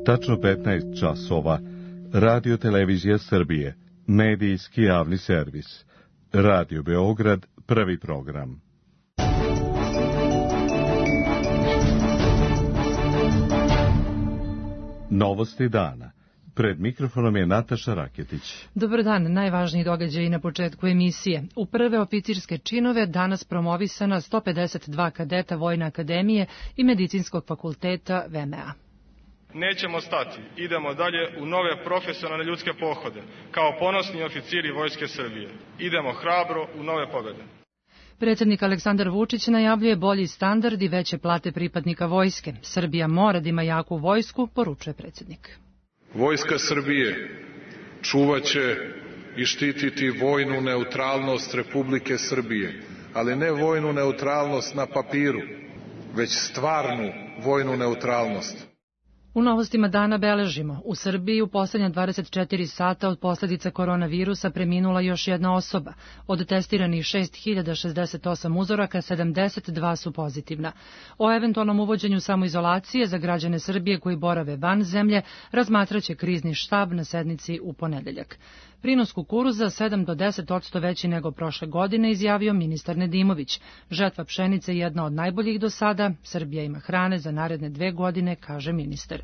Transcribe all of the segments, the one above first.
Tačno 15 časova. Radio Televizija Srbije. Medijski javni servis. Radio Beograd, prvi program. Novosti dana. Pred mikrofonom je Nataša Raketić. Dobar dan, najvažniji događaji na početku emisije. U prve oficirske činove danas promovisana 152 kadeta Vojne akademije i Medicinskog fakulteta VMA. Nećemo stati, idemo dalje u nove profesionalne ljudske pohode, kao ponosni oficiri Vojske Srbije. Idemo hrabro u nove pobjede. Predsjednik Aleksandar Vučić najavljuje bolji standard i veće plate pripadnika vojske. Srbija mora da ima jaku vojsku, poručuje predsjednik. Vojska Srbije čuvaće i štititi vojnu neutralnost Republike Srbije, ali ne vojnu neutralnost na papiru, već stvarnu vojnu neutralnost. U novostima dana beležimo. U Srbiji u posljednja 24 sata od posljedica koronavirusa preminula još jedna osoba. Od testiranih 6068 uzoraka, 72 su pozitivna. O eventualnom uvođenju samoizolacije za građane Srbije koji borave van zemlje razmatraće krizni štab na sednici u ponedeljak. Prinos kukuruza 7 do 10% veći nego prošle godine, izjavio ministar Nedimović. Žetva pšenice je jedna od najboljih do sada, Srbija ima hrane za naredne 2 godine, kaže ministar.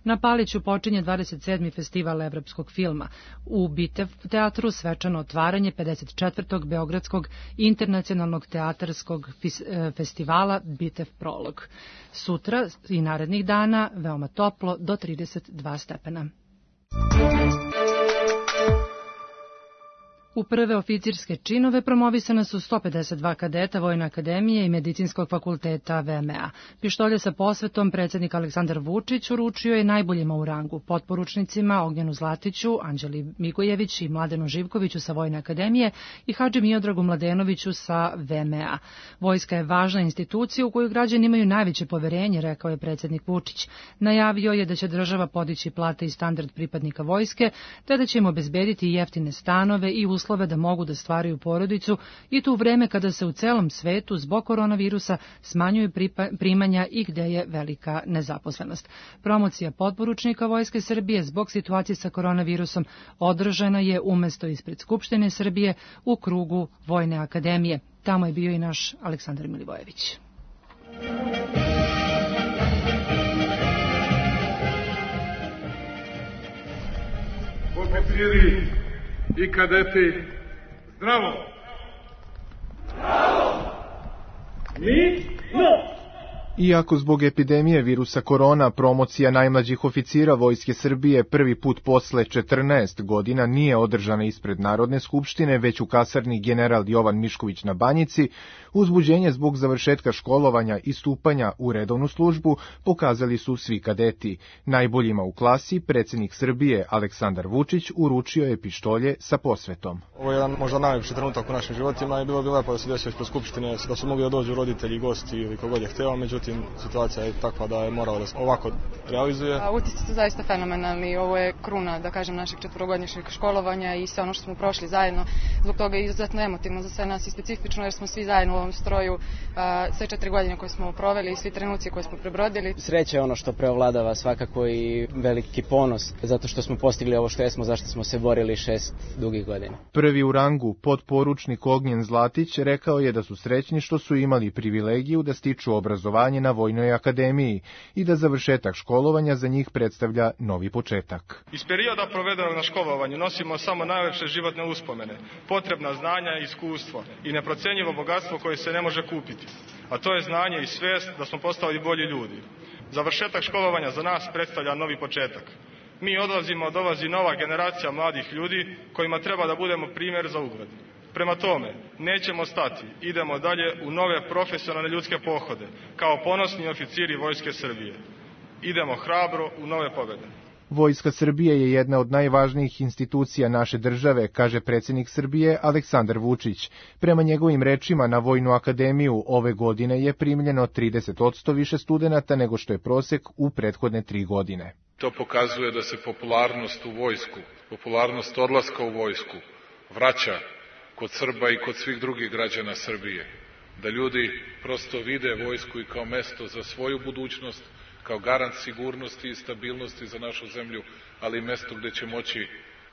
Na Paliću počinje 27. festival evropskog filma. U Bitev teatru svečano otvaranje 54. Beogradskog internacionalnog teatarskog festivala Bitev Prolog. Sutra i narednih dana veoma toplo do 32 stepena. U prve oficirske činove promovisana su 152 kadeta Vojne akademije i Medicinskog fakulteta VMA. Pištolje sa posvetom predsjednik Aleksandar Vučić uručio je najboljima u rangu, potporučnicima Ognjenu Zlatiću, Anđeli Migojević i Mladenu Živkoviću sa Vojne akademije i Hadži Miodragu Mladenoviću sa VMA. Vojska je važna institucija u koju građani imaju najveće poverenje, rekao je predsjednik Vučić. Najavio je da će država podići plate i standard pripadnika vojske, te da će im obezbediti jeftine stanove i uslove da mogu da stvaraju porodicu i to u vreme kada se u celom svetu zbog koronavirusa smanjuju primanja i gde je velika nezaposlenost. Promocija potporučnika Vojske Srbije zbog situacije sa koronavirusom održana je umesto ispred Skupštine Srbije u krugu Vojne akademije. Tamo je bio i naš Aleksandar Milivojević. Oficiri i kadeti, zdravo! Zdravo! Mi? No! Iako zbog epidemije virusa korona promocija najmlađih oficira Vojske Srbije prvi put posle 14 godina nije održana ispred Narodne skupštine, već u kasarni General Jovan Mišković na Banjici, uzbuđenje zbog završetka školovanja i stupanja u redovnu službu pokazali su svi kadeti. Najboljima u klasi predsjednik Srbije Aleksandar Vučić uručio je pištolje sa posvetom. Ovo je jedan možda najljepši trenutak u našim životima i bilo bi lepo da se desio ispred skupštine, da su mogli da dođu roditelji, gosti ili kogod je hteo, međutim situacija je takva da je moralo da se ovako realizuje. Utisci su zaista fenomenalni, ovo je kruna, da kažem, našeg 4-godišnjeg školovanja i sve ono što smo prošli zajedno. Zbog toga je izuzetno emotivno za sve nas i specifično jer smo svi zajedno u ovom stroju, sve 4 godine koje smo proveli i svi trenuci koje smo prebrodili. Sreća je ono što preovladava svakako i veliki ponos zato što smo postigli ovo što jesmo, zašto smo se borili 6 dugih godina. Prvi u rangu, potporučnik Ognjen Zlatić, rekao je da su srećni što su imali privilegiju da stiču obrazovanje na Vojnoj akademiji i da završetak školovanja za njih predstavlja novi početak. Iz perioda provedenog na školovanju nosimo samo najlepše životne uspomene, potrebna znanja i iskustvo i neprocenjivo bogatstvo koje se ne može kupiti, a to je znanje i svest da smo postali bolji ljudi. Završetak školovanja za nas predstavlja novi početak. Mi odlazimo, dolazi nova generacija mladih ljudi kojima treba da budemo primjer za ugled. Prema tome, nećemo stati, idemo dalje u nove profesionalne ljudske pohode, kao ponosni oficiri Vojske Srbije. Idemo hrabro u nove pobjede. Vojska Srbije je jedna od najvažnijih institucija naše države, kaže predsjednik Srbije Aleksandar Vučić. Prema njegovim rečima, na Vojnu akademiju ove godine je primljeno 30% više studenata nego što je prosek u prethodne 3 godine. To pokazuje da se popularnost u vojsku, popularnost odlaska u vojsku vraća kod Srba i kod svih drugih građana Srbije. Da ljudi prosto vide vojsku i kao mesto za svoju budućnost, kao garant sigurnosti i stabilnosti za našu zemlju, ali i mesto gde će moći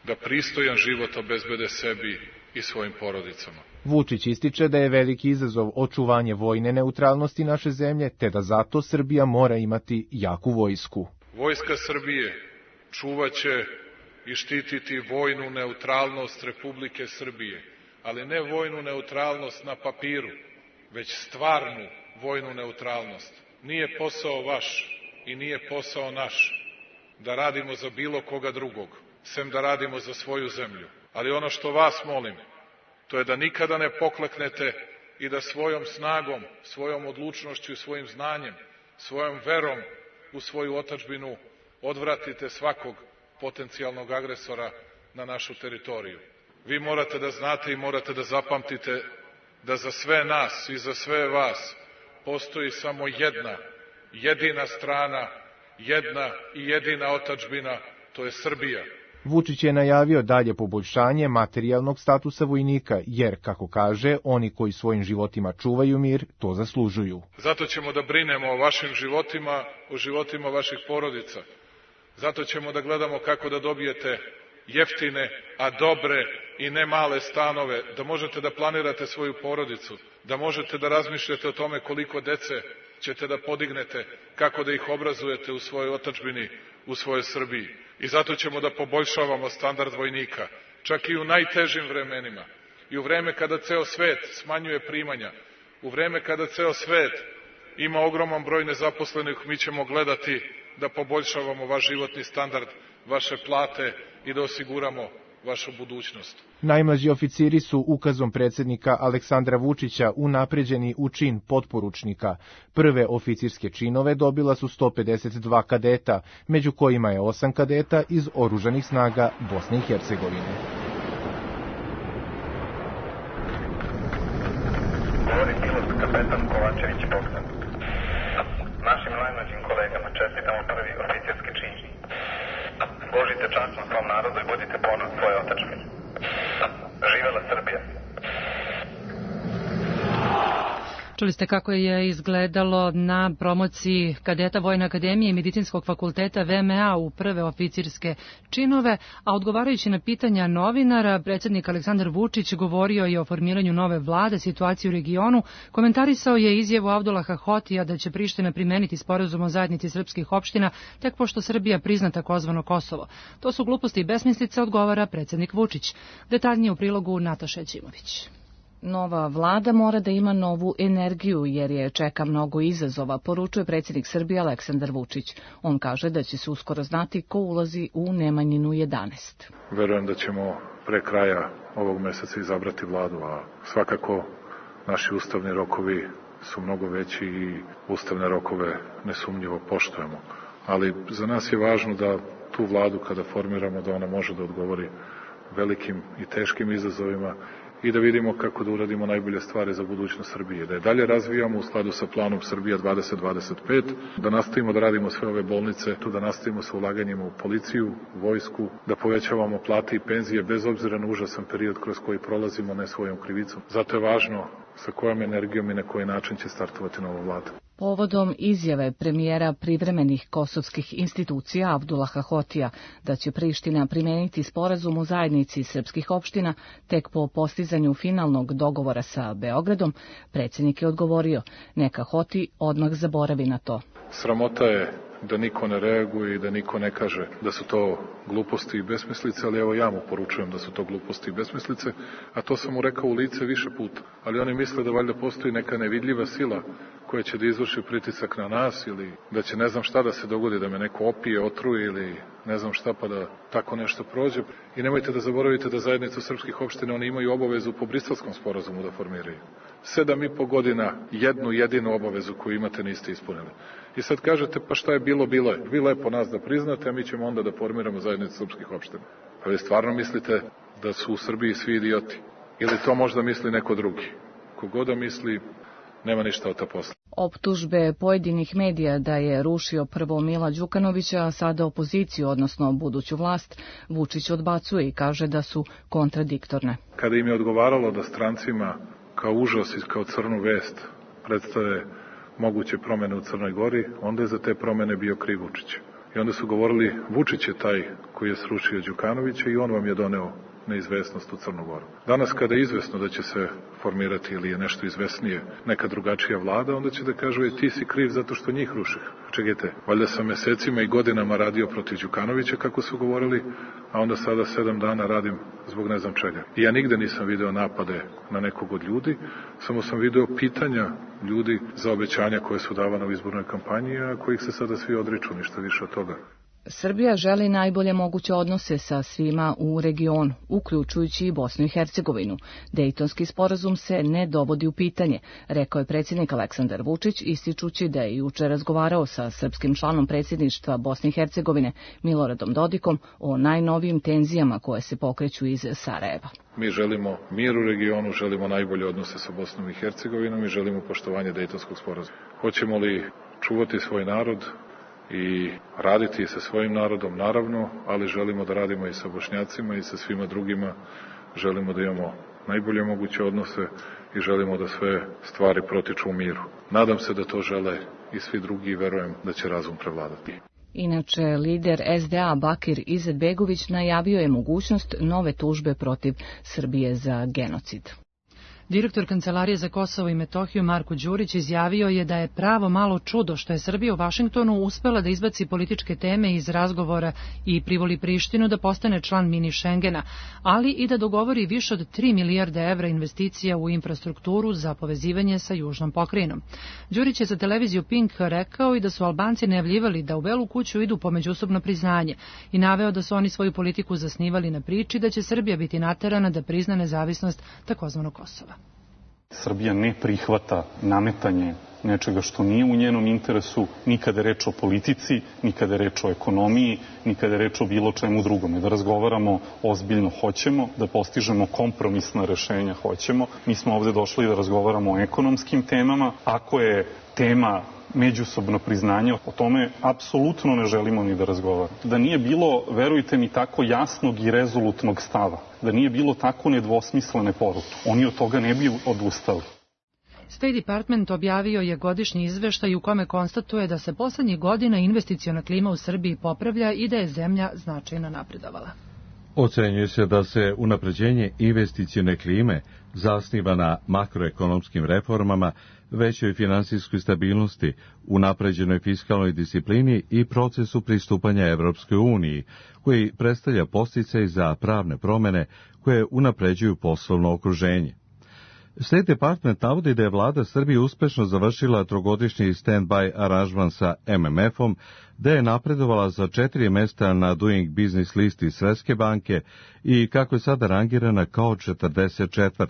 da pristojan život obezbede sebi i svojim porodicama. Vučić ističe da je veliki izazov očuvanje vojne neutralnosti naše zemlje, te da zato Srbija mora imati jaku vojsku. Vojska Srbije čuvaće i štititi vojnu neutralnost Republike Srbije, ali ne vojnu neutralnost na papiru, već stvarnu vojnu neutralnost. Nije posao vaš i nije posao naš da radimo za bilo koga drugog, sem da radimo za svoju zemlju. Ali ono što vas molim, to je da nikada ne pokleknete i da svojom snagom, svojom odlučnošću i svojim znanjem, svojom verom u svoju otadžbinu odvratite svakog potencijalnog agresora na našu teritoriju. Vi morate da znate i morate da zapamtite da za sve nas i za sve vas postoji samo jedna, jedina strana, jedna i jedina otadžbina, to je Srbija. Vučić je najavio dalje poboljšanje materijalnog statusa vojnika, jer, kako kaže, oni koji svojim životima čuvaju mir, to zaslužuju. Zato ćemo da brinemo o vašim životima, o životima vaših porodica. Zato ćemo da gledamo kako da dobijete jeftine, a dobre i ne male stanove, da možete da planirate svoju porodicu, da možete da razmišljate o tome koliko dece ćete da podignete, kako da ih obrazujete u svojoj otadžbini, u svojoj Srbiji. I zato ćemo da poboljšavamo standard vojnika, čak i u najtežim vremenima. I u vreme kada ceo svet smanjuje primanja, u vreme kada ceo svet ima ogroman broj nezaposlenih, mi ćemo gledati da poboljšavamo vaš životni standard, vaše plate i da osiguramo vašu budućnost. Najmlađi oficiri su ukazom predsjednika Aleksandra Vučića unapređeni u čin potporučnika. Prve oficirske činove dobila su 152 kadeta, među kojima je 8 kadeta iz oružanih snaga Bosne i Hercegovine. Govori pilot kapetan Kovačević Bogdan. Našim najmlađim kolegama čestitamo prvi oficirski čin. Služite časno svom narodu i budite ponos svoje otadžbine. Živela Srbija! Čuli ste kako je izgledalo na promociji kadeta Vojne akademije i Medicinskog fakulteta VMA u prve oficirske činove, a odgovarajući na pitanja novinara, predsjednik Aleksandar Vučić govorio je o formiranju nove vlade, situaciju u regionu, komentarisao je izjavu Abdulaha Hotija da će Priština primeniti sporazum o zajednici srpskih opština tek pošto Srbija prizna takozvano Kosovo. To su gluposti i besmislice, odgovara predsjednik Vučić. Detaljnije u prilogu Nataša Ćimović. Nova vlada mora da ima novu energiju jer je čeka mnogo izazova, poručuje predsjednik Srbije Aleksandar Vučić. On kaže da će se uskoro znati ko ulazi u Nemanjinu 11. Verujem da ćemo pre kraja ovog meseca izabrati vladu, a svakako naši ustavni rokovi su mnogo veći i ustavne rokove nesumnjivo poštujemo. Ali za nas je važno da tu vladu kada formiramo da ona može da odgovori velikim i teškim izazovima i da vidimo kako da uradimo najbolje stvari za budućnost Srbije, da je dalje razvijamo u skladu sa planom Srbija 2025, da nastavimo da radimo sve ove bolnice, da nastavimo sa ulaganjima u policiju, vojsku, da povećavamo plate i penzije bez obzira na užasan period kroz koji prolazimo ne svojom krivicom. Zato je važno sa kojom energijom i na koji način će startovati nova vlada. Povodom izjave premijera privremenih kosovskih institucija Abdulaha Hotija da će Priština primeniti sporazum o zajednici srpskih opština tek po postizanju finalnog dogovora sa Beogradom, predsjednik je odgovorio, neka Hoti odmah zaboravi na to. Sramota je da niko ne reaguje i da niko ne kaže da su to gluposti i besmislice, ali evo ja mu poručujem da su to gluposti i besmislice, a to sam mu rekao u lice više puta. Ali oni misle da valjda postoji neka nevidljiva sila koja će da izvrši pritisak na nas ili da će ne znam šta da se dogodi, da me neko opije, otruje ili ne znam šta pa da tako nešto prođe. I nemojte da zaboravite da zajednicu srpskih opština oni imaju obavezu po Briselskom sporazumu da formiraju. 7,5 godina jednu jedinu obavezu koju imate niste ispunili. I sad kažete pa šta je bilo, bilo je. Vi lepo nas da priznate, a mi ćemo onda da formiramo zajednicu srpskih opština. Pa vi stvarno mislite da su u Srbiji svi idioti? Ili to možda misli neko drugi? Kogoda misli, nema ništa od ta posla. Optužbe pojedinih medija da je rušio prvo Mila Đukanovića, a sada opoziciju, odnosno buduću vlast, Vučić odbacuje i kaže da su kontradiktorne. Kada im je odgovaralo da strancima kao užas i kao crnu vest predstave moguće promene u Crnoj Gori, onda je za te promene bio kriv Vučić. I onda su govorili, Vučić je taj koji je srušio Đukanovića i on vam je doneo neizvesnost u Crnu Goru. Danas kada je izvesno da će se formirati ili je nešto izvesnije neka drugačija vlada, onda će da kažu ti si kriv zato što njih ruših. Čekajte, valjda sam mesecima i godinama radio protiv Đukanovića kako su govorili, a onda sada 7 dana radim zbog ne znam čega. I ja nigde nisam video napade na nekog od ljudi, samo sam video pitanja ljudi za obećanja koje su davane u izbornoj kampanji, a kojih se sada svi odriču, ništa više od toga. Srbija želi najbolje moguće odnose sa svima u regionu, uključujući i Bosnu i Hercegovinu. Dejtonski sporazum se ne dovodi u pitanje, rekao je predsjednik Aleksandar Vučić, ističući da je juče razgovarao sa srpskim članom predsjedništva Bosne i Hercegovine Miloradom Dodikom o najnovijim tenzijama koje se pokreću iz Sarajeva. Mi želimo mir u regionu, želimo najbolje odnose sa Bosnom i Hercegovinom i želimo poštovanje Dejtonskog sporazuma. Hoćemo li čuvati svoj narod i raditi sa svojim narodom, naravno, ali želimo da radimo i sa Bošnjacima i sa svima drugima. Želimo da imamo najbolje moguće odnose i želimo da sve stvari protiču u miru. Nadam se da to žele i svi drugi i verujem da će razum prevladati. Inače, lider SDA Bakir Izetbegović najavio je mogućnost nove tužbe protiv Srbije za genocid. Direktor Kancelarije za Kosovo i Metohiju Marko Đurić izjavio je da je pravo malo čudo što je Srbija u Vašingtonu uspela da izbaci političke teme iz razgovora i privoli Prištinu da postane član mini Šengena, ali i da dogovori više od 3 milijarde evra investicija u infrastrukturu za povezivanje sa južnom pokrajinom. Đurić je za televiziju Pink rekao i da su Albanci najavljivali da u Belu kuću idu po međusobno priznanje i naveo da su oni svoju politiku zasnivali na priči da će Srbija biti naterana da prizna nezavisnost takozvanog Kosova. Srbija ne prihvata nametanje nečega što nije u njenom interesu, ni kada je reč o politici, ni kada je reč o ekonomiji, ni kada je reč o bilo čemu drugome. Da razgovaramo ozbiljno hoćemo, da postižemo kompromisna rešenja hoćemo. Mi smo ovde došli da razgovaramo o ekonomskim temama. Ako je tema međusobno priznanje, o tome apsolutno ne želimo ni da razgovaramo. Da nije bilo, verujte mi, tako jasnog i rezolutnog stava, da nije bilo tako nedvosmislene poruke, oni od toga ne bi odustali. State Department objavio je godišnji izveštaj u kome konstatuje da se poslednjih godina investiciona klima u Srbiji popravlja i da je zemlja značajno napredovala. Ocenjuje se da se unapređenje investicione klime zasniva na makroekonomskim reformama, većoj finansijskoj stabilnosti, unapređenoj fiskalnoj disciplini i procesu pristupanja Evropskoj uniji, koji predstavlja podsticaj za pravne promene koje unapređuju poslovno okruženje. State Department navodi da je vlada Srbije uspešno završila trogodišnji stand-by aranžman sa MMF-om, da je napredovala za 4 mesta na Doing Business listi Svetske banke i kako je sada rangirana kao 44.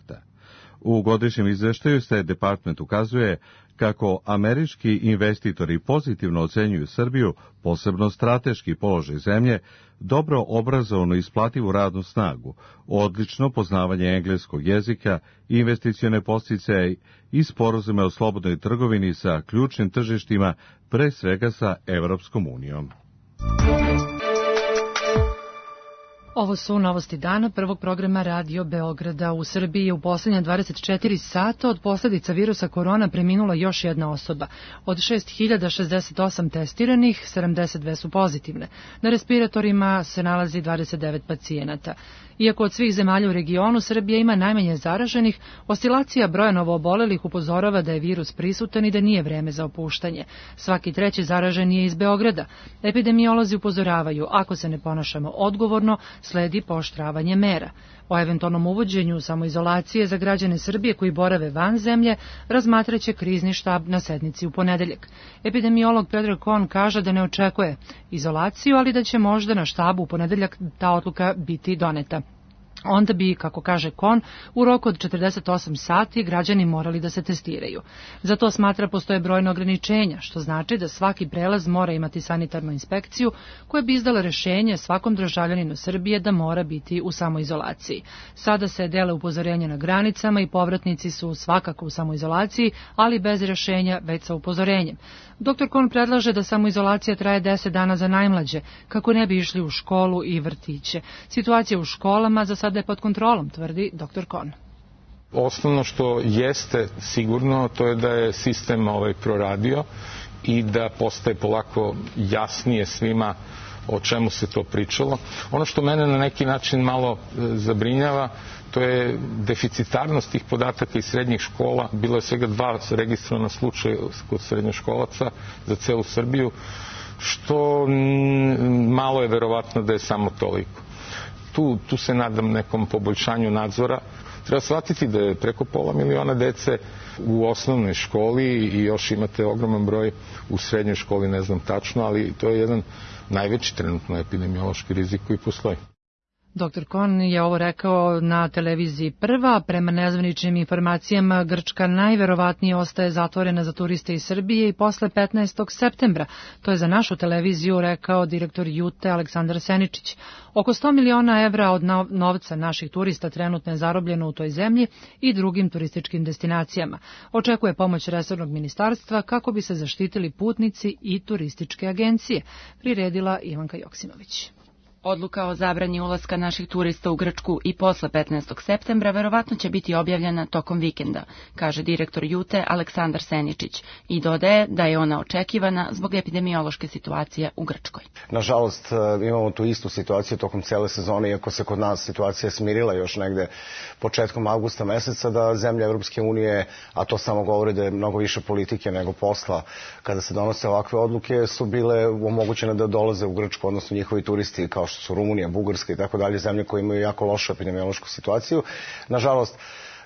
U godišnjem izveštaju State Department ukazuje kako američki investitori pozitivno ocenjuju Srbiju, posebno strateški položaj zemlje, dobro obrazovanu i isplativu radnu snagu, odlično poznavanje engleskog jezika, investicione podsticaje i sporazume o slobodnoj trgovini sa ključnim tržištima, pre svega sa Evropskom unijom. Ovo su novosti dana prvog programa Radio Beograda. U Srbiji je u poslednja 24 sata od posljedica virusa korona preminula još jedna osoba. Od 6068 testiranih, 72 su pozitivne. Na respiratorima se nalazi 29 pacijenata. Iako od svih zemalja u regionu Srbija ima najmanje zaraženih, oscilacija broja novoobolelih upozorava da je virus prisutan i da nije vreme za opuštanje. Svaki treći zaražen je iz Beograda. Epidemiolozi upozoravaju, ako se ne ponašamo odgovorno, sledi pooštravanje mera. O eventualnom uvođenju samoizolacije za građane Srbije koji borave van zemlje razmatraće krizni štab na sednici u ponedeljak. Epidemiolog Predrag Kon kaže da ne očekuje izolaciju, ali da će možda na štabu u ponedeljak ta odluka biti doneta. Onda bi, kako kaže Kon, u roku od 48 sati građani morali da se testiraju. Za to smatra postoje brojne ograničenja, što znači da svaki prelaz mora imati sanitarnu inspekciju koja bi izdala rešenje svakom državljaninu Srbije da mora biti u samoizolaciji. Sada se dele upozorenja na granicama i povratnici su svakako u samoizolaciji, ali bez rešenja već sa upozorenjem. Dr. Kon predlaže da samoizolacija traje 10 dana za najmlađe, kako ne bi išli u školu i vrtiće. Situacija u školama za sada je pod kontrolom, tvrdi dr. Kon. Osnovno što jeste sigurno, to je da je sistem proradio i da postaje polako jasnije svima o čemu se to pričalo. Ono što mene na neki način malo zabrinjava, to je deficitarnost tih podataka iz srednjih škola. Bilo je svega 2 registrovana slučaja kod srednjoškolaca za celu Srbiju, što malo je verovatno da je samo toliko. Tu se nadam nekom poboljšanju nadzora. Treba shvatiti da je preko 500.000 dece u osnovnoj školi i još imate ogroman broj u srednjoj školi, ne znam tačno, ali to je jedan najveći trenutno epidemiološki rizik koji postoji. Dr. Kon je ovo rekao na televiziji Prva. Prema nezvaničnim informacijama, Grčka najverovatnije ostaje zatvorena za turiste iz Srbije i posle 15. septembra. To je za našu televiziju rekao direktor Jute Aleksandar Seničić. Oko 100 miliona evra od novca naših turista trenutno je zarobljeno u toj zemlji i drugim turističkim destinacijama. Očekuje pomoć resornog ministarstva kako bi se zaštitili putnici i turističke agencije, priredila Ivanka Joksimović. Odluka o zabrani ulaska naših turista u Grčku i posle 15. septembra verovatno će biti objavljena tokom vikenda, kaže direktor Jute Aleksandar Seničić i dodaje da je ona očekivana zbog epidemiološke situacije u Grčkoj. Nažalost, imamo tu istu situaciju tokom cele sezone, iako se kod nas situacija smirila još negde početkom avgusta meseca, da zemlje Evropske unije, a to samo govori da je mnogo više politike nego posla, kada se donose ovakve odluke, su bile omogućene da dolaze u Grčku, odnosno njihovi turisti kao što su Rumunija, Bugarska i tako dalje, zemlje koje imaju jako lošu epidemiološku situaciju. Nažalost,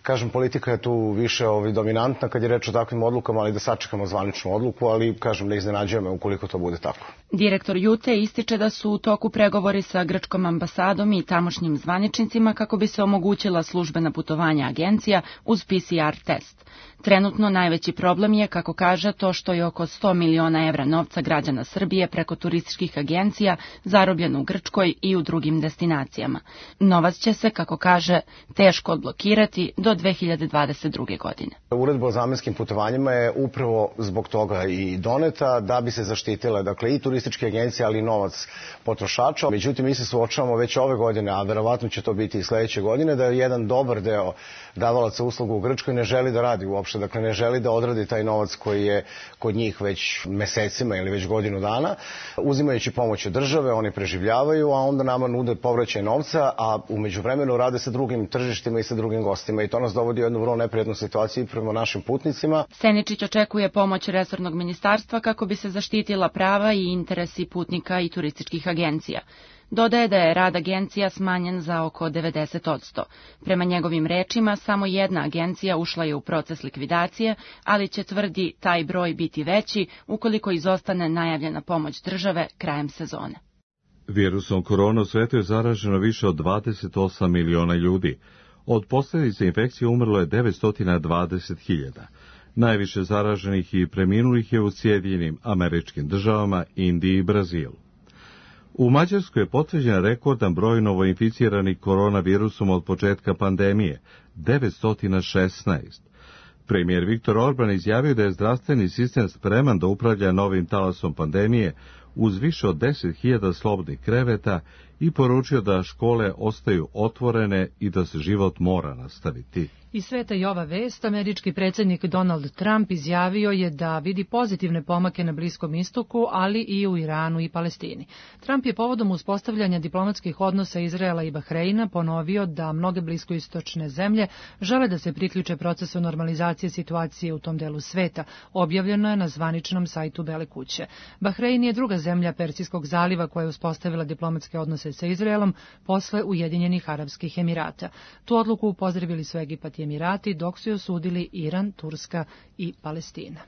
kažem, politika je tu više dominantna kad je reč o takvim odlukama, ali da sačekamo zvaničnu odluku, ali kažem, ne iznenađuje me ukoliko to bude tako. Direktor Jute ističe da su u toku pregovori sa grčkom ambasadom i tamošnjim zvaničnicima kako bi se omogućila službena putovanja agencija uz PCR test. Trenutno najveći problem je, kako kaže, to što je oko 100 miliona evra novca građana Srbije preko turističkih agencija zarobljeno u Grčkoj i u drugim destinacijama. Novac će se, kako kaže, teško odblokirati do 2022. godine. Uredba o zamenskim putovanjima je upravo zbog toga i doneta da bi se zaštitile, dakle, i turističke agencije, ali i novac potrošača. Međutim, mi se suočavamo već ove godine, a verovatno će to biti i sledeće godine, da jedan dobar deo davalaca usluga u Grčkoj ne želi da radi uopšte, dakle ne želi da odradi taj novac koji je kod njih već mesecima ili već godinu dana. Uzimajući pomoć od države, oni preživljavaju, a onda nama nude povraćaj novca, a u međuvremenu rade sa drugim tržištima i sa drugim gostima i to nas dovodi u jednu vrlo neprijatnu situaciju prema našim putnicima. Seničić očekuje pomoć resornog ministarstva kako bi se zaštitila prava i interesi putnika i turističkih agencija. Dodaje da je rad agencija smanjen za oko 90%. Prema njegovim rečima, samo jedna agencija ušla je u proces likvidacije, ali će, tvrdi, taj broj biti veći ukoliko izostane najavljena pomoć države krajem sezone. Virusom korona u svetu je zaraženo više od 28 miliona ljudi. Od posljedice infekcije umrlo je 920.000. Najviše zaraženih i preminulih je u Sjedinjenim Američkim Državama, Indiji i Brazilu. U Mađarskoj je potvrđen rekordan broj novoinficiranih koronavirusom od početka pandemije, 916. Premijer Viktor Orban izjavio da je zdravstveni sistem spreman da upravlja novim talasom pandemije uz više od 10.000 slobodnih kreveta i poručio da škole ostaju otvorene i da se život mora nastaviti. Iz sveta i ova vest, američki predsjednik Donald Trump izjavio je da vidi pozitivne pomake na Bliskom istoku, ali i u Iranu i Palestini. Trump je povodom uspostavljanja diplomatskih odnosa Izraela i Bahreina ponovio da mnoge bliskoistočne zemlje žele da se priključe procesu normalizacije situacije u tom delu sveta, objavljeno je na zvaničnom sajtu Bele kuće. Bahrein je druga zemlja Persijskog zaliva koja je uspostavila diplomatske odnose sa Izraelom posle Ujedinjenih Arapskih Emirata. Tu odluku pozdravili su Egipat i Emirati, dok su je osudili Iran, Turska i Palestina.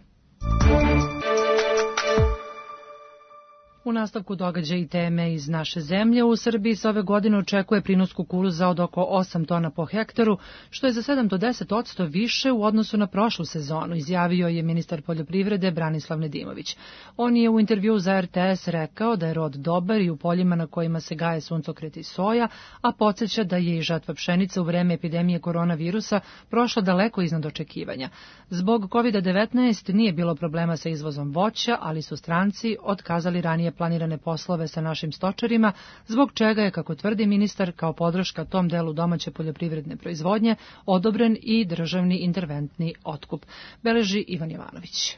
U nastavku događaja i teme iz naše zemlje, u Srbiji se ove godine očekuje prinos kukuruza od oko 8 tona po hektaru, što je za 7 do 10% više u odnosu na prošlu sezonu, izjavio je ministar poljoprivrede Branislav Nedimović. On je u intervju za RTS rekao da je rod dobar i u poljima na kojima se gaje suncokret i soja, a podsjeća da je i žatva pšenice u vreme epidemije koronavirusa prošla daleko iznad očekivanja. Zbog COVID-19 nije bilo problema sa izvozom voća, ali su stranci otkazali ranije planirane poslove sa našim stočarima, zbog čega je, kako tvrdi ministar, kao podrška tom delu domaće poljoprivredne proizvodnje odobren i državni interventni otkup, beleži Ivan Jovanović.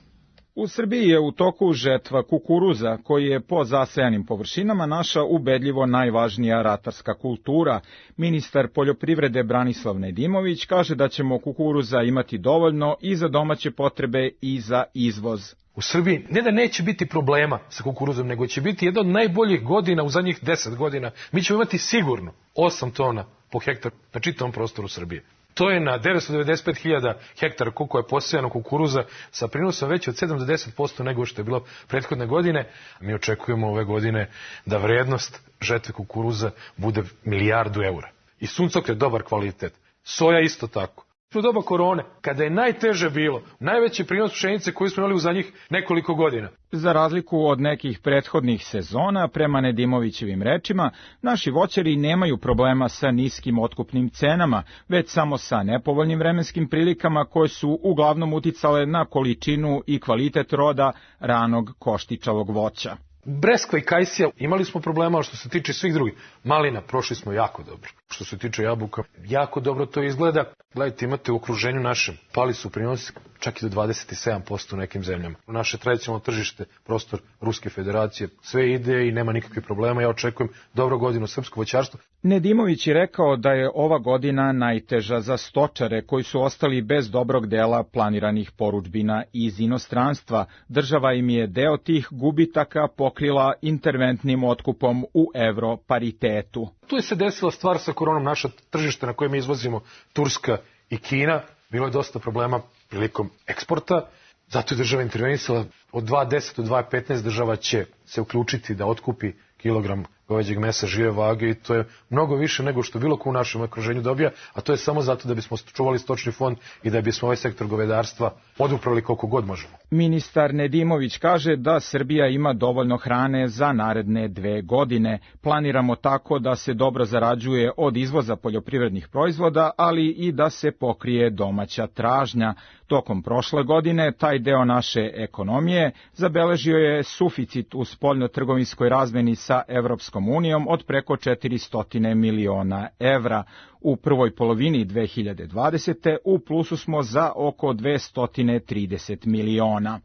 U Srbiji je u toku žetva kukuruza, koji je po zasejanim površinama naša ubedljivo najvažnija ratarska kultura. Ministar poljoprivrede Branislav Nedimović kaže da ćemo kukuruza imati dovoljno i za domaće potrebe i za izvoz. U Srbiji ne da neće biti problema sa kukuruzom, nego će biti jedna od najboljih godina u zadnjih 10 godina. Mi ćemo imati sigurno 8 tona po hektar na čitavom prostoru Srbije. To je na 995.000 hektara koliko je posejano kukuruza sa prinosom veći od 7 do 10% nego što je bilo prethodne godine. Mi očekujemo ove godine da vrednost žetve kukuruza bude 1 milijardu eura. I suncokret dobar kvalitet. Soja isto tako. U doba korone, kada je najteže bilo, najveći prinos pšenice koji smo imali u zadnjih nekoliko godina. Za razliku od nekih prethodnih sezona, prema Nedimovićevim rečima, naši voćari nemaju problema sa niskim otkupnim cenama, već samo sa nepovoljnim vremenskim prilikama koje su uglavnom uticale na količinu i kvalitet roda ranog koštičavog voća. Breskva i kajsija imali smo problema, što se tiče svih drugih. Malina prošli smo jako dobro. Što se tiče jabuka, jako dobro to izgleda. Gledajte, imate u okruženju našem, pali su prinosi čak i do 27% u nekim zemljama. U naše tradicionalno tržište, prostor Ruske federacije, sve ide i nema nikakvih problema. Ja očekujem dobro godinu srpsko voćarstvo. Nedimović je rekao da je ova godina najteža za stočare koji su ostali bez dobrog dela planiranih porudžbina iz inostranstva. Država im je deo tih gubitaka pokrila interventnim otkupom u evro paritetu. Tu je se desila stvar sa koronom, naša tržište na koje mi izvozimo, Turska i Kina, bilo je dosta problema prilikom eksporta, zato je država intervenisala. Od 2.10 do 2.15 država će se uključiti da otkupi kilogram goveđeg mesa žive vage i to je mnogo više nego što bilo ko u našem okruženju dobija, a to je samo zato da bismo čuvali stočni fond i da bismo ovaj sektor govedarstva poduprali koliko god možemo. Ministar Nedimović kaže da Srbija ima dovoljno hrane za naredne 2 godine. Planiramo tako da se dobro zarađuje od izvoza poljoprivrednih proizvoda, ali i da se pokrije domaća tražnja. Tokom prošle godine taj deo naše ekonomije zabeležio je suficit u spoljnotrgovinskoj razmeni sa Evropskom unijom od preko 400 miliona evra. U prvoj polovini 2020. u plusu smo za oko 230 miliona.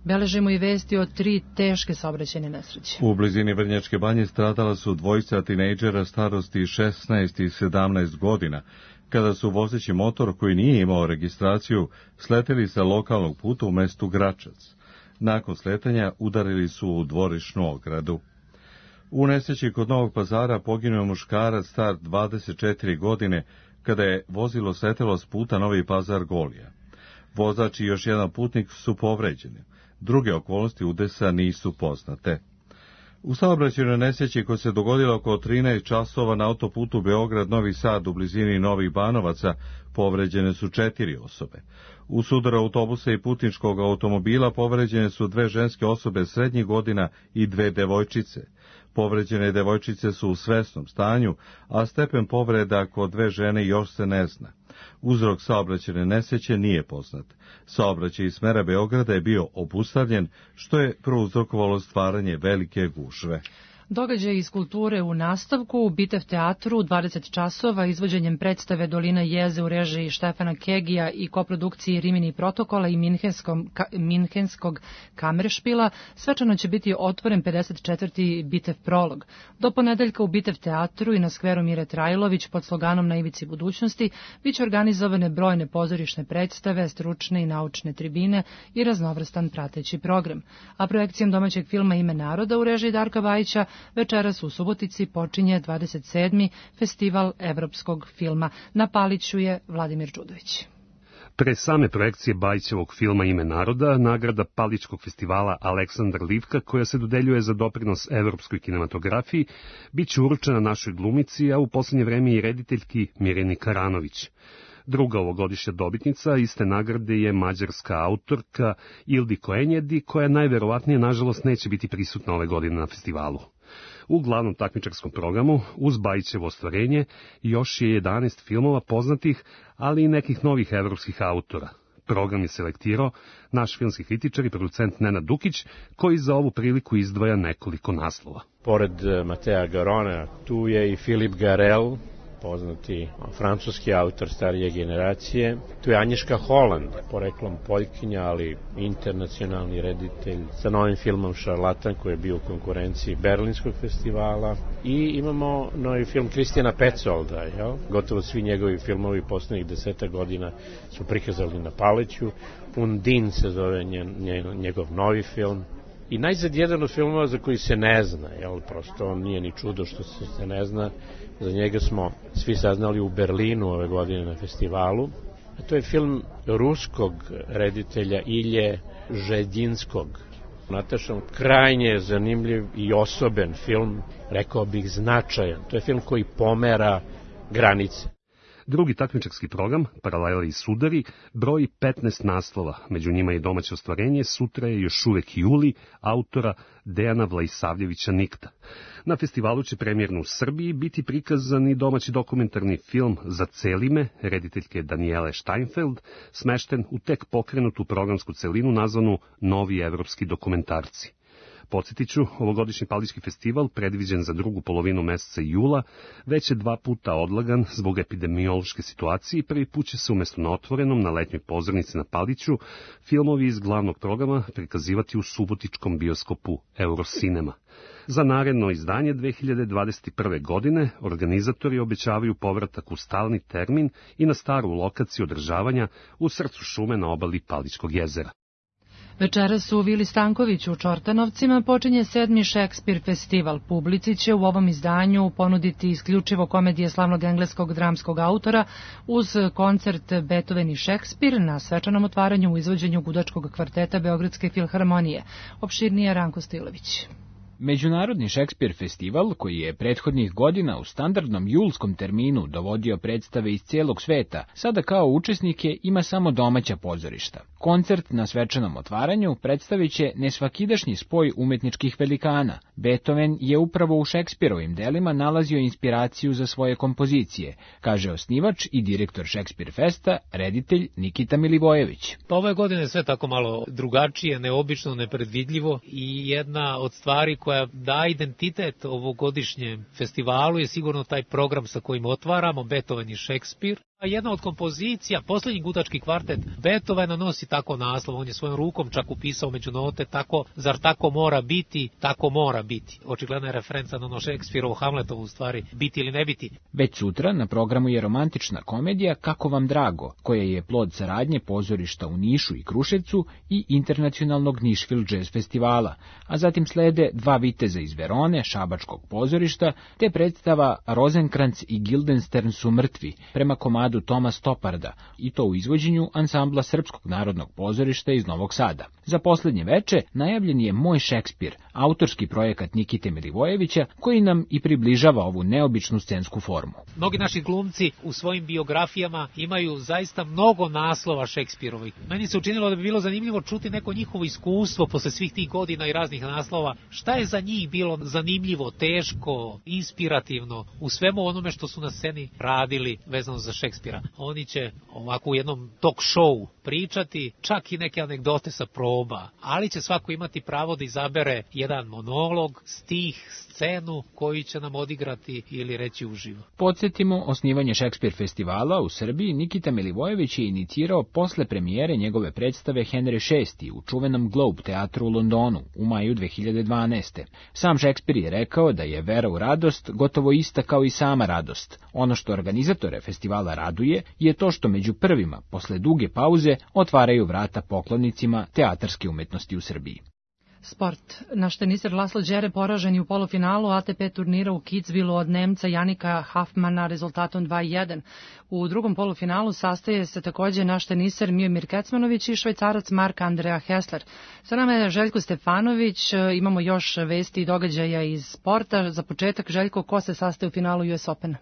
Beležimo i vesti o 3 teške saobraćajne nesreće. U blizini Vrnjačke Banje stradala su dvojica tinejdžera starosti 16 i 17 godina, kada su vozeći motor koji nije imao registraciju sleteli sa lokalnog puta u mestu Gračac. Nakon sletanja udarili su u dvorišnu ogradu. U nesreći kod Novog Pazara poginuo je muškarac star 24 godine kada je vozilo sletelo s puta Novi Pazar Golija. Vozač i još jedan putnik su povređeni. Druge okolnosti udesa nisu poznate. U saobraćajnoj nesreći koja se dogodila oko 13 časova na autoputu Beograd-Novi Sad u blizini Novih Banovaca povređene su 4 osobe. U sudaru autobusa i putničkog automobila povređene su 2 ženske osobe srednjih godina i 2 devojčice. Povređene devojčice su u svesnom stanju, a stepen povreda kod 2 žene još se ne zna. Uzrok saobraćajne nesreće nije poznat. Saobraćaj iz smera Beograda je bio obustavljen, što je prouzrokovalo stvaranje velike gužve. Događaj iz kulture u nastavku u Bitev teatru u 20 časova izvođenjem predstave Dolina jeze u režiji Štefana Kegija i koprodukciji Rimini protokola i Minhenskog kameršpila svečano će biti otvoren 54. Bitev prolog. Do ponedeljka u Bitev teatru i na skveru Mire Trajlović pod sloganom Na ivici budućnosti biće organizovane brojne pozorišne predstave, stručne i naučne tribine i raznovrstan prateći program. A projekcijom domaćeg filma Ime naroda u režiji Darka Bajića večeras u Subotici počinje 27. festival evropskog filma. Na Paliću je Vladimir Đudović. Pre same projekcije Bajićevog filma Ime naroda, nagrada Palićkog festivala Aleksandar Livka, koja se dodeljuje za doprinos evropskoj kinematografiji, bit će uručena našoj glumici, a u poslednje vreme i rediteljki Mirjani Karanović. Druga ovogodišnja dobitnica iste nagrade je mađarska autorka Ildiko Enjedi, koja najverovatnije, nažalost, neće biti prisutna ove godine na festivalu. U glavnom takmičarskom programu, uz Bajićevo ostvarenje, još je 11 filmova poznatih, ali i nekih novih evropskih autora. Program je selektirao naš filmski kritičar i producent Nenad Dukić, koji za ovu priliku izdvaja nekoliko naslova. Pored Matea Garona, tu je i Philippe Garel, poznati francuski autor starije generacije. Tu je Anješka Holland, poreklom Poljkinja, ali internacionalni reditelj, sa novim filmom Šarlatan, koji je bio u konkurenciji Berlinskog festivala. I imamo novi film Kristijana Petsolda, jel? Gotovo svi njegovi filmovi poslednjih 10 godina su prikazali na Paleću. Undin se zove njegov novi film. I najzad jedan od filmova za koji se ne zna, jel? Prosto on nije ni čudo što se ne zna. Za njega smo svi saznali u Berlinu ove godine na festivalu. A to je film ruskog reditelja Ilje Žedinskog. Natašan, krajnje zanimljiv i osoben film, rekao bih značajan. To je film koji pomera granice. Drugi takmičarski program, Paralele i sudari, broji 15 naslova, među njima i domaće ostvarenje Sutra je još uvek juli, autora Dejana Vlaisavljevića Nikta. Na festivalu će premijerno u Srbiji biti prikazan i domaći dokumentarni film Za celime, rediteljke Danijele Steinfeld, smešten u tek pokrenutu programsku celinu nazvanu Novi evropski dokumentarci. Podsjetiću, ovogodišnji Palićki festival, predviđen za drugu polovinu meseca jula, već je 2 puta odlagan zbog epidemiološke situacije i prvi put će se umesto na otvorenom na letnjoj pozornici na Paliću filmovi iz glavnog programa prikazivati u subotičkom bioskopu Eurocinema. Za naredno izdanje 2021. godine organizatori obećavaju povratak u stalni termin i na staru lokaciju održavanja u srcu šume na obali Palićkog jezera. Večeras u Vili Stankoviću u Čortanovcima počinje 7. Šekspir festival. Publici će u ovom izdanju ponuditi isključivo komedije slavnog engleskog dramskog autora uz koncert Beethoven i Šekspir na svečanom otvaranju u izvođenju gudačkog kvarteta Beogradske filharmonije. Opširnije Ranko Stilović. Međunarodni Šekspir festival, koji je prethodnih godina u standardnom julskom terminu dovodio predstave iz cijelog sveta, sada kao učesnike ima samo domaća pozorišta. Koncert na svečanom otvaranju predstavit će nesvakidašnji spoj umetničkih velikana. Beethoven je upravo u Šekspirovim delima nalazio inspiraciju za svoje kompozicije, kaže osnivač i direktor Šekspir Festa, reditelj Nikita Milivojević. Pa ove godine je sve tako malo drugačije, neobično, nepredvidljivo i jedna od stvari koja daje identitet ovogodišnjem festivalu je sigurno taj program sa kojim otvaramo, Beethoven i Šekspir. A jedna od kompozicija, posljednji gudački kvartet Beethovena nosi tako naslov, on je svojom rukom čak upisao među note, tako, zar tako mora biti, tako mora biti. Očigledna je referenca na ono Šekspirovo Hamletovo u stvari, biti ili ne biti. Već sutra na programu je romantična komedija Kako vam drago, koja je plod saradnje pozorišta u Nišu i Kruševcu i internacionalnog Nišvil Jazz festivala, a zatim slede Dva viteza iz Verone, šabačkog pozorišta, te predstava Rozenkranz i Guildenstern su mrtvi, prema komadu Toma Stoparda, i to u izvođenju ansambla Srpskog narodnog pozorišta iz Novog Sada. Za posljednje veče najavljen je Moj Šekspir, autorski projekat Nikite Milivojevića, koji nam i približava ovu neobičnu scensku formu. Mnogi naši glumci u svojim biografijama imaju zaista mnogo naslova Šekspirovih. Meni se učinilo da bi bilo zanimljivo čuti neko njihovo iskustvo posle svih tih godina i raznih naslova. Šta je za njih bilo zanimljivo, teško, inspirativno u svemu onome što su na sceni radili vezano za Šekspira. Oni će ovako u jednom talk show pričati čak i neke anegdote sa proba, ali će svako imati pravo da izabere jedan monolog, stih, scenu koju će nam odigrati ili reći uživo. Podsjetimo, osnivanje Šekspir festivala u Srbiji Nikita Milivojević je inicirao posle premijere njegove predstave Henry VI u čuvenom Globe teatru u Londonu u maju 2012. Sam Šekspir je rekao da je vera u radost gotovo ista kao i sama radost. Ono što organizatore festivala raduje je to što među prvima, posle duge pauze, otvaraju vrata poklonicima teatarske umetnosti u Srbiji. Sport. Naš teniser Laslo Đere poražen je u polufinalu ATP turnira u Kitzbühelu od Nemca Janika Hafmana rezultatom 2:1. U drugom polufinalu sastaje se takođe naš teniser Miomir Kecmanović i Švajcarac Mark Andrea Hessler. Sa nama je Željko Stefanović, imamo još vesti i događaja iz sporta. Za početak, Željko, ko se sastaje u finalu US Opena?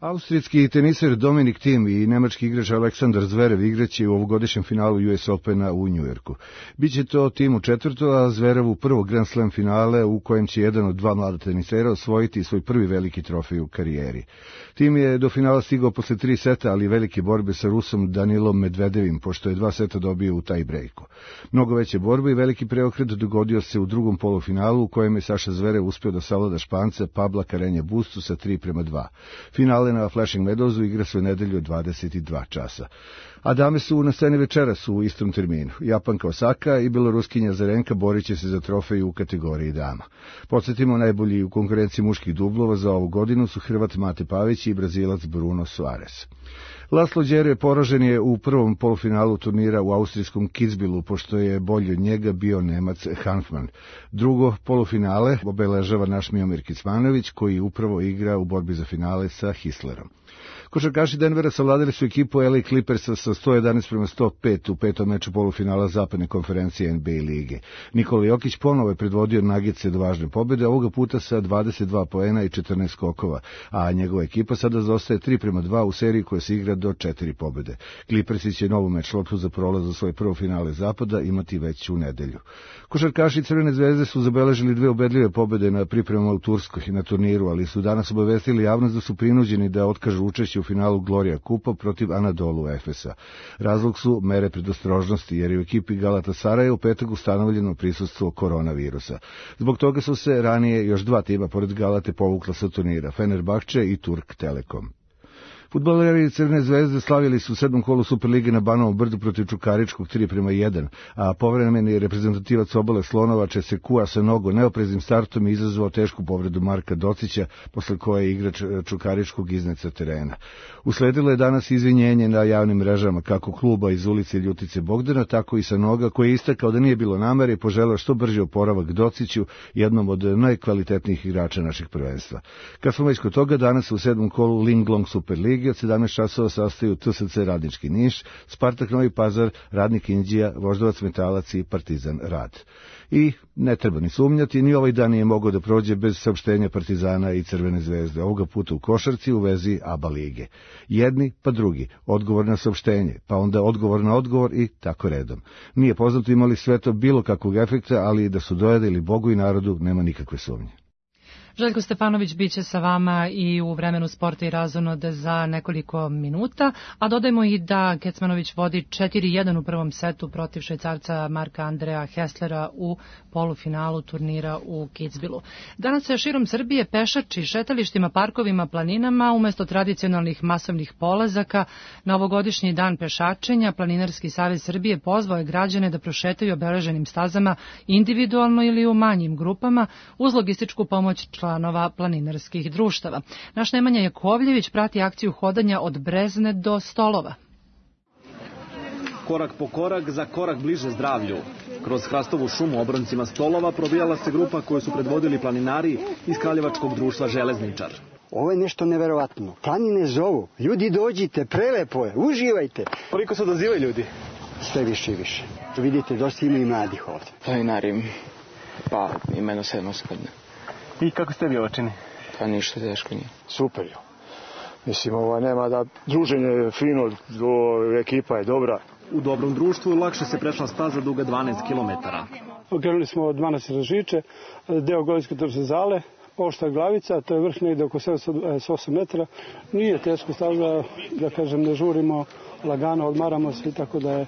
Austrijski teniser Dominik Thiem i nemački igrač Aleksandar Zverev igraće u ovogodišnjem finalu US Opena u Njujorku. Biće to Thiemu četvrto, a Zverevu prvo Grand Slam finale u kojem će jedan od dva mlada tenisera osvojiti svoj prvi veliki trofej u karijeri. Thiem je do finala stigao posle 3 seta, ali velike borbe sa Rusom Danilom Medvedevim, pošto je 2 seta dobio u taj brejku. Mnogo veće borbe i veliki preokret dogodio se u drugom polufinalu u kojem je Saša Zverev uspeo da savlada Španca Pabla Carreña Bustu sa 3:2. Finale na Flushing Meadowsu igra se u nedelju 22 časa. A dame su na sceni večeras u istom terminu. Japanka Osaka i beloruskinja Zarenka borit će se za trofej u kategoriji dama. Podsjetimo, najbolji u konkurenciji muških dublova za ovu godinu su Hrvat Mate Pavić i Brazilac Bruno Soares. Laslo Đere poražen je u prvom polufinalu turnira u austrijskom Kitzbühelu, pošto je bolji od njega bio Nemac Hanfmann. Drugo polufinale obeležava naš Miomir Kecmanović, koji upravo igra u borbi za finale sa Hislerom. Košarkaši Denvera savladali su ekipu LA Clippersa sa 111:105 u petom meču polufinala zapadne konferencije NBA lige. Nikola Jokić ponovo je predvodio Nuggetse do važne pobjede, ovoga puta sa 22 poena i 14 skokova, a njegova ekipa sada zaostaje 3:2 u seriji koja se igra do 4 pobjede. Clippersi će novu meč loptu za prolaz u svoje prvo finale zapada imati već u nedelju. Košarkaši Crvene zvezde su zabeležili 2 ubedljive pobjede na pripremama u Turskoj na turniru, ali su danas obavestili javnost da su prinuđeni da otkažu učešće u finalu Gloria Kupa protiv Anadolu Efesa. Razlog su mere predostrožnosti, jer je u ekipi Galatasaraja u petak ustanovljeno prisustvo koronavirusa. Zbog toga su se ranije još 2 tima pored Galate povukla sa turnira, Fenerbahče i Turk Telekom. Fudbaleri Crvene zvezde slavili su u 7. kolu Superlige na Banovom Brdu protiv Čukaričkog 3:1, a povremeni reprezentativac Obale Slonovače Sekua sa mnogo neopreznim startom izazvao tešku povredu Marka Docića, posle koje je igrač Čukaričkog iznad sa terena. Usledilo je danas izvinjenje na javnim mrežama kako kluba iz ulice Ljutice Bogdana, tako i sa Noga, koji je istakao da nije bilo namere i poželeo što brži oporavak Dociću, jednom od najkvalitetnijih igrača našeg prvenstva. Kad smo već kod toga, danas u 7. kolu Linglong Superlige od 17 časova sastaju TSC Radnički Niš, Spartak Novi Pazar, Radnik Inđija, Voždovac Metalac i Partizan Rad. I ne treba ni sumnjati, ni ovaj dan nije mogao da prođe bez saopštenja Partizana i Crvene zvezde, ovoga puta u košarci u vezi ABA lige. Jedni pa drugi, odgovor na saopštenje, pa onda odgovor na odgovor i tako redom. Nije poznato imali sve to bilo kakvog efekta, ali da su dojadili Bogu i narodu nema nikakve sumnje. Željko Stefanović biće sa vama i u vremenu sporta i razonode za nekoliko minuta, a dodajmo i da Kecmanović vodi 4:1 u prvom setu protiv Švajcarca Marka Andreja Heslera u polufinalu turnira u Kitzbühelu. Danas se širom Srbije pešači šetalištima, parkovima, planinama, umesto tradicionalnih masovnih polazaka. Na ovogodišnji dan pešačenja Planinarski savez Srbije pozvao je građane da prošetaju obeleženim stazama individualno ili u manjim grupama uz logističku pomoć članova planinarskih društava. Naš Nemanja Jakovljević prati akciju hodanja od Brezne do Stolova. Korak po korak, za korak bliže zdravlju. Kroz hrastovu šumu obroncima Stolova probijala se grupa koju su predvodili planinari iz Kraljevačkog društva Železničar. Ovo je nešto neverovatno. Planine zovu. Ljudi dođite, prelepo je, uživajte. Koliko se odazivaju ljudi? Sve više i više. Vidite, dosta ima i mladih ovdje. Planinari, pa imeno 7 godine. I kako ste vi očini? Pa ništa teško nije. Super je. Mislim, nema da druženje je fino, ekipa je dobra. U dobrom društvu lakše se prešla staza duga 12 km. Okrenuli smo od Manastira Žiče, deo Golijske Trsezale, Ošta Glavica, to je vrh negde oko 708 metara. Nije teško staza, da kažem, ne žurimo, lagano odmaramo se, tako da je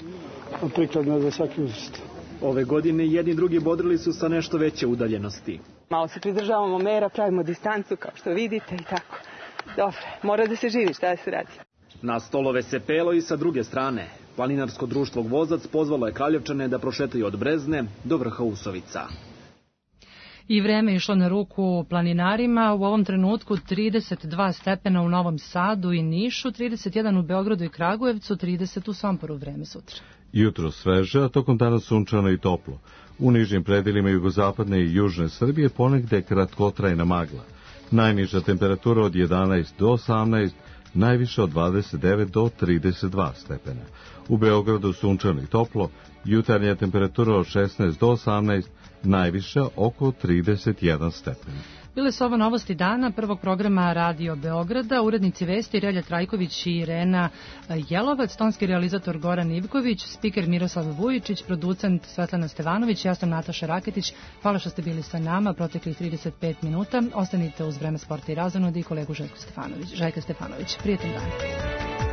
prikladno za svaki uzrast. Ove godine jedni drugi bodrili su sa nešto veće udaljenosti. Malo se pridržavamo mera, pravimo distancu, kao što vidite i tako. Dobro, mora da se živi, šta da se radi. Na Stolove se pelo i sa druge strane. Planinarsko društvo Gvozac pozvalo je Kraljevčane da prošetaju od Brezne do vrha Usovica. I vreme išlo na ruku planinarima. U ovom trenutku 32 stepena u Novom Sadu i Nišu, 31 u Beogradu i Kragujevcu, 30 u Somporu. Vreme sutra. Jutro sveže, a tokom dana sunčano i toplo. U nižim predelima jugozapadne i južne Srbije ponegde kratkotrajna magla. Najniža temperatura od 11 do 18, najviše od 29 do 32 stepena. U Beogradu sunčano i toplo, jutarnja temperatura od 16 do 18, najviše oko 31 stepen. Bile su ovo novosti dana prvog programa Radio Beograda, urednici vesti Relja Trajković i Irena Jelovac, tonski realizator Goran Ivković, spiker Miroslav Vujičić, producent Svetlana Stevanović, ja sam Nataša Raketić. Hvala što ste bili sa nama proteklih 35 minuta. Ostanite uz Vreme sporta i razonodi i kolegu Željka Stefanović. Prijatan dan.